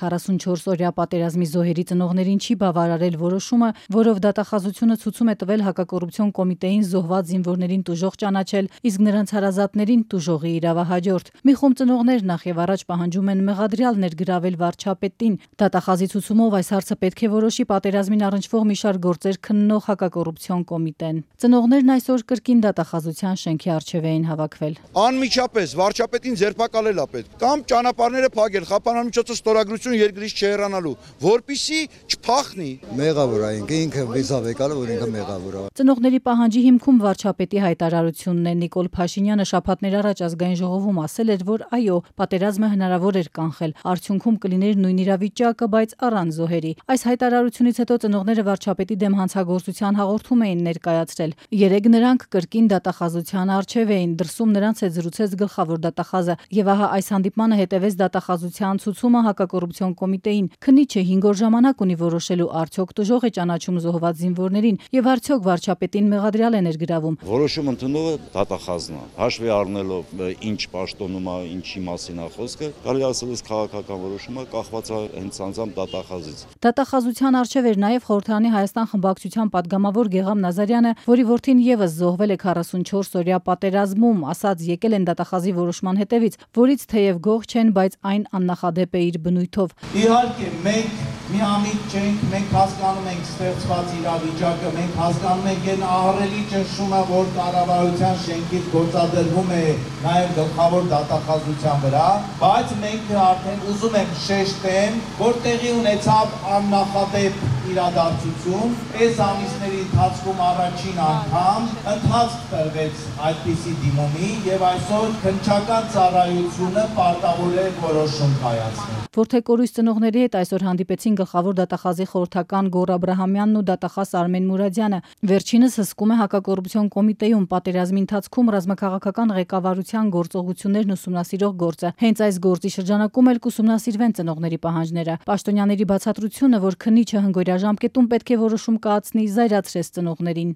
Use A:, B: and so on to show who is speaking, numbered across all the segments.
A: 44-օրյա պատերազմի զոհերի ծնողներին չի բավարարել որոշումը, որով դատախազությունը ցուցում է տվել հակակոռուպցիոն կոմիտեին զոհված զինվորներին տուժող ճանաչել, իսկ նրանց հարազատներին տուժողի իրավահաջորդ։ Մի խումբ ծնողներ նախ եւ առաջ պահանջում են մեղադրյալ ներգրավել վարչապետին։ Դատախազի ցուցումով այս հարցը պետք է որոշի պատերազմին առնչվող մի շարք գործեր քննող հակակոռուպցիոն կոմիտեն։ Ծնողներն այսօր կրկին դատախազության շենքի առջև էին հավաքվել։
B: Անմիջապես վարչապետին ձերբակալել է պետք կամ ճանապարհները փակել, խափանամիջոցը ստորագրություն երկրից չհեռանալու, որպիսի չփախնի։
C: Մեղավոր է ինքը վիզավ եկալ, որ ինքը մեղավոր է։
A: Ծնողների պահանջի հիմքում վարչապետի հայտարարությունն է։ Նիկոլ Փաշինյանը շաբաթներ առաջ ազգային ժողովում ասել էր, որ այո, պատերազմը հնարավոր էր կանխել, արդյունքում կլիներ նույն իրավիճակը, բայց առանց զոհերի։ Այս հայտարարությունից հետո ծնողները վարչապետի դեմ հանցագործության հաղորդում էին ներկայացրել։ Երեկ նրանք կրկին դատախազության առջև էին, դրսում նրանց հետ զրուցեց գլխավոր դատախազը, եւ ահա այս հանդիպմանը հետևեց դատախազության ցուցումը հակակոռուպցիոն կոմիտեին։ Քննիչը 5 օր ժամանակ ունի որոշելու արդյոք տուժող է ճանաչում զոհված զինվորներին եւ արդյոք վարչապետին մեղադրյալ է ներգրավում։
D: Որոշում ընդունողը դատախազն է, հաշվի առնելով ինչ պաշտոնում է, ինչի մասին է խոսքը, կարելի ասել է քաղաքական որոշումը կախված է հենց անձամբ դատախազից։
A: Դատախազության առջև էր նաեւ Խորհրդանի Հայաստան խմբակցության падգամավոր Գեգամ Նազարյանը, որի որդին եւս զոհվել է 44-օրյա պատերազմում, ասաց եկել են դատախազի որոշման հետևից, որից թեև գող չեն, բայց այն աննախադեպ է իր բնույթով։
E: Իհարկե, մենք միամիտ չենք, մենք հասկանում ենք ստեղծված իրավիճակը, մենք հասկանում ենք այն ահռելի ճնշումը, որ կառավարության շենքից գործադրվում է նաև գլխավոր դատախազության վրա, բայց մենք արդեն ուզում ենք շեշտեմ, որ տեղի ունեցավ աննախադեպ իրադարձություն, այս ամիսների ընթացքում առաջին անգամ ընթացք տրվեց այդպիսի դիմումի եւ այսօր քննչական ծառայությունը պարտավոր է որոշում կայացնել։
A: Որդեկորույս ծնողների հետ այսօր հանդիպեցին գլխավոր դատախազի խորհրդական Գոռ Աբրահամյանն ու դատախազ Արմեն Մուրադյանը։ Վերջինս հսկում է հակակոռուպցիոն կոմիտեում պատերազմի ընթացքում ռազմաքաղաքական ղեկավարության գործողություններն ուսումնասիրող գործը։ Հենց այս գործի շրջանակում էլ կուսումնասիրվեն ծնողների պահանջները։ Պաշտոնյաների բացատրությունը, որ քննիչը հնգօրյա ժամկետում պետք է որոշում կայացնի, զայրացրեց ծնողներին։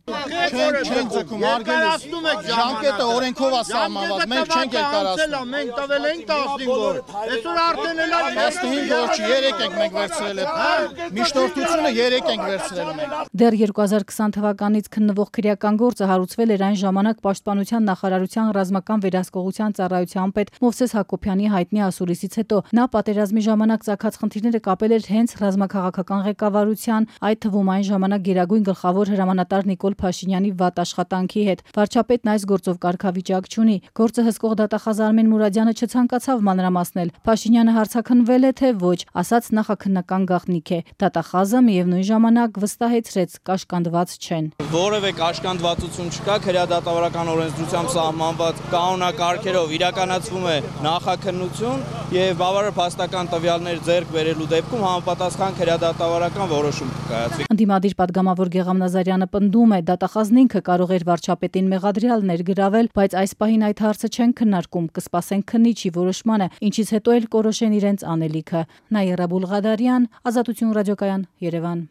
F: Չեն ձգում, ժամկետը օրենքով է սահմանված, մենք չենք կայացնում։ Մենք տվել ենք 15 օր։ Այսօր արդեն էլ 15 օր չի, 3 ենք մենք վերցրել ենք։ Միջնորդությունը 3 ենք վերցրել մենք։
A: Դեռ 2020 թվականից քննվող քրեական գործը հարուցվել էր այն ժամանակ Պաշտպանության նախարարության ռազմական վերահսկողության ծառայության պետ Մովսես Հակոբյանի հայտնի ասուլիսից հետո։ Նա պատերազմի ժամանակ ծագած խնդիրները կապել էր հենց ռազմաքաղաքական ղեկավարության, այդ թվում այն ժամանակ գերագույն գլխավոր հրամանատար Նիկոլ Փաշինյանի վատ աշխատանքի հետ։ Վարչապետն այս գործով կարգավիճակ չունի։ Գործը հսկող դատախազ Արմեն Մուրադյանը չցանկացավ մանրամասնել։ Փաշինյանը հարցաքննվել է թե ոչ, ասաց նախաքննական գաղտնիք է։ Դատախազը միևնույն ժամանակ վստահեցրեց կաշկանդված չեն։
G: Որևէ կաշկանդվածություն չկա, քրեադատավարական օրենսդրությամբ սահմանված կանոնակարգերով իրականացվում է նախաքննություն եւ բավարար փաստական տվյալներ ձեռք բերելու դեպքում համապատասխան քրեադատավարական որոշում կայացվի։
A: Ընդդիմադիր падգամավոր Գեգամ Նազարյանը պնդում է, դատախազն ինքը կարող էր վարչապետին մեղադրյալ ներգրավել, բայց այս պահին այդ հարցը չեն քննարկում, կսպասեն քննիչի որոշմանը, ինչից հետո էլ կորոշեն իրենց անելիքը։ Նաիրա Բուլղադարյան, Ազատություն ռադիոկայան, Երևան։